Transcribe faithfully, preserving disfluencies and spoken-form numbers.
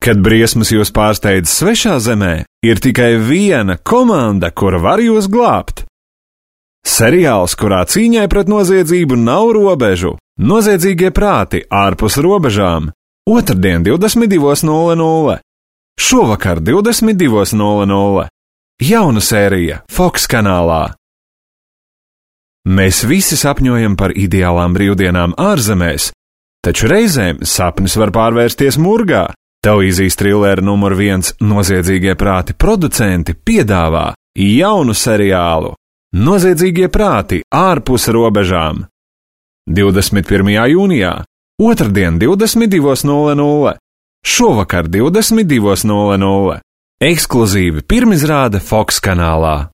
Kad briesmas jūs pārsteidz svešā zemē, ir tikai viena komanda, kura var jūs glābt. Seriāls, kurā cīņai pret noziedzību nav robežu. Noziedzīgie prāti ārpus robežām. Otrdien divdesmit divi nulle nulle. Šovakar divdesmit divi nulle nulle. Jauna sērija Fox kanālā. Mēs visi sapņojam par ideālām brīvdienām ārzemēs, taču reizēm sapnis var pārvērsties murgā. Televīzijas trilera numur viens Noziedzīgie prāti producenti piedāvā jaunu seriālu Noziedzīgie prāti ārpus robežām. divdesmit pirmajā jūnijā, otrdien divdesmit divi nulle nulle, šovakar divdesmit divi nulle nulle. Ekskluzīvi pirmizrāde Fox kanālā.